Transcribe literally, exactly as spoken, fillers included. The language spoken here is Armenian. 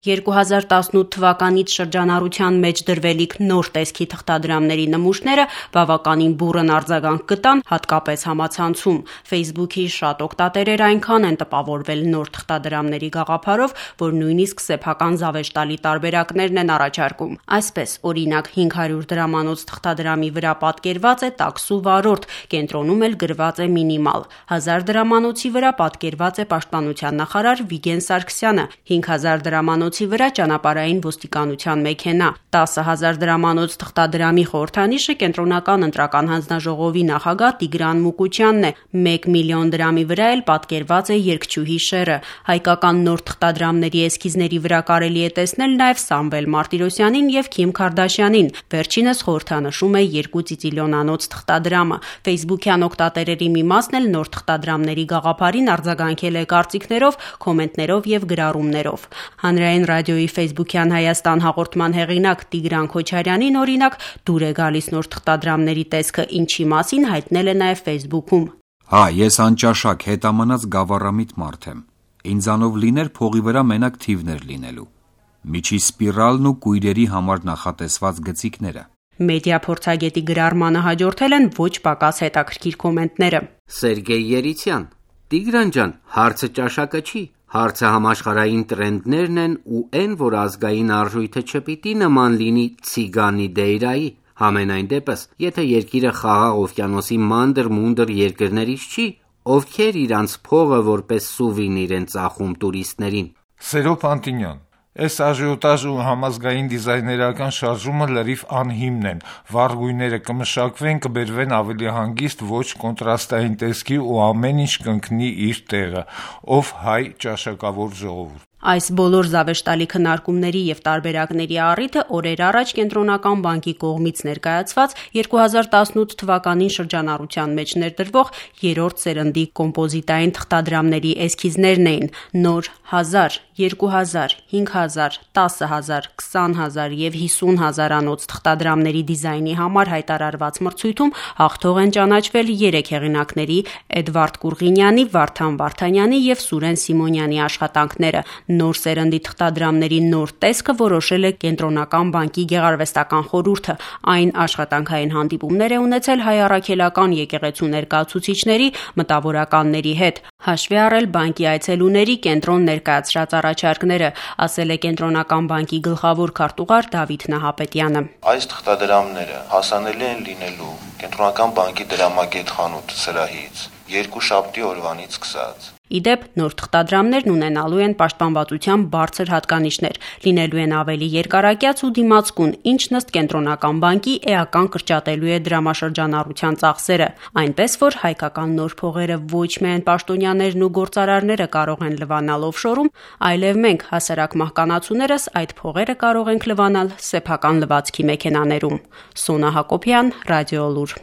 երկու հազար տասնութ թվականից շրջանառության մեջ դրվելիք նոր տեսքի թղթադրամների նմուշները բավականին բուռն արձագանք գտան, հատկապես համացանցում։ Facebook-ի շատ օգտատերեր այնքան են տպավորվել նոր թղթադրամների գաղափարով, որ նույնիսկ սեփական զավեշտալի տարբերակներն են առաջարկում։ Այսպես, օրինակ, հինգ հարյուր դրամանոց թղթադրամի վրա պատկերված է տաքսու վարորդ, կենտրոնում էլ գրված է մինիմալ։ հազար դրամանոցի վրա պատկերված է պաշտպանության նախարար Վիգեն Սարգսյանը, հինգ հազար դրամանոցի վրա ճանապարհային ոստիկանության մեքենա, տասը հազար դրամանոց թղթադրամի խորհրդանիշը կենտրոնական ընտրական հանձնաժողովի նախագահ Տիգրան Մուկուչյանն է, մեկ միլիոն դրամի վրա էլ պատկերված է երգչուհի Շերը։ Հայկական նոր թղթադրամների էսքիզների վրա կարելի է տեսնել նաև Սամվել Մարտիրոսյանին եւ Քիմ Քարդաշյանին, վերջինս խորհրդանշում է երկու ծիծիլիոնանոց թղթադրամը։ Facebook-յան օգտատերերի մի մասն էլ նոր թղթադրամների գաղափարին արձագանքել է կարծիքներով, կոմենտներով եւ գրառումներով։ Հանրային ռադիոյի Facebook-յան Հայաստան հաղորդման հեղինակ Տիգրան Քոչարյանին, օրինակ, դուր է գալիս նոր թղթադրամների տեսքը, ինչի մասին հայտնել է նաև Facebook-ում։ Հա, ես անճաշակ հետամնաց գավառամիտ մարդ եմ։ Ինձանով լիներ փողի վրա մենակ թիվներ լինելու։ Միջի սպիրալն ու կույրերի համար նախատեսված գծիկները։ Մեդիա փորձագետի գրառմանը հաջորդել են ոչ պակաս հետաքրքիր կոմենտները։ Սերգեյ Երիցյան, Տիգրան ջան, հարցը ճաշակը չի, հարցը համաշխարհային տրենդներն են ու այն, որ ազգային արժույթը չպիտի նման լինի ցիգանի դեյրայի։ Համենայն դեպս, եթե երկիրը խաղաղ օվկիանոսի մանդր-մունդր երկրներից չի, ովքեր իրանց փողը որպես սուվենիր են ծախում տուրիստներին։ Սերո Պանտինյան, այս աժիոտաժ ու համազգային դիզայներական շարժումը լրիվ անհիմն են, վառ գույները կմշակվեն, կբերվեն ավելի հանգիստ, ոչ կոնտրաստային տեսքի ու ամեն ինչ կընկնի իր տեղը, ով հայ ճաշակավոր ժողովուրդ։ Այս բոլոր զավեշտալի քննարկումների եւ տարբերակների առիթը օրեր առաջ Կենտրոնական բանկի կողմից ներկայացված երկու հազար տասնութ թվականին շրջանառության մեջ ներդրվող երրորդ սերնդի կոմպոզիտային թղթադրամների էսքիզներն էին։ Նոր հազար, երկու հազար, հինգ հազար, տասը հազար, քսան հազար եւ հիսուն հազարանոց թղթադրամների դիզայնի համար հայտարարված մրցույթում հաղթող են ճանաչվել երեք հեղինակների՝ Էդվարդ Կուրղինյանի, Վարդան Վարդանյանի եւ Սուրեն Սիմոնյանի աշխատանքները։ Նոր սերնդի թղթադրամների նոր տեսքը որոշել է Կենտրոնական բանկի գեղարվեստական խորհուրդը։ Այն աշխատանքային հանդիպումներ է ունեցել հայ առաքելական եկեղեցու ներկայացուցիչների, մտավորականների հետ, հաշվի առել բանկի այցելուների կենտրոն ներկայացրած առաջարկները, ասել է Կենտրոնական բանկի գլխավոր քարտուղար Դավիթ Նահապետյանը։ Այս թղթադրամները հասանելի են լինելու Կենտրոնական բանկի դրամագետ խանութ սրահից երկուշաբթի օրվանից սկսած։ Իդեպ, նոր թղթադրամներն ունենալու են պաշտպանվածության բարձր հատկանիշներ, լինելու են ավելի երկարակյաց ու դիմացկուն, ինչն ըստ Կենտրոնական բանկի էական կրճատելու է դրամաշրջանառության ծախսերը, այնպես որ հայկական նոր փողերը ոչ միայն պաշտոնյաներն ու գործարարները կարող են լվանալ օֆշորում, այլև մենք, հասարակ մահկանացուներս, այդ փողերը կարող ենք լվանալ սեփական լվացքի մեքենաներում։ Սոնա Հակոբյան, Ռադիոլուր։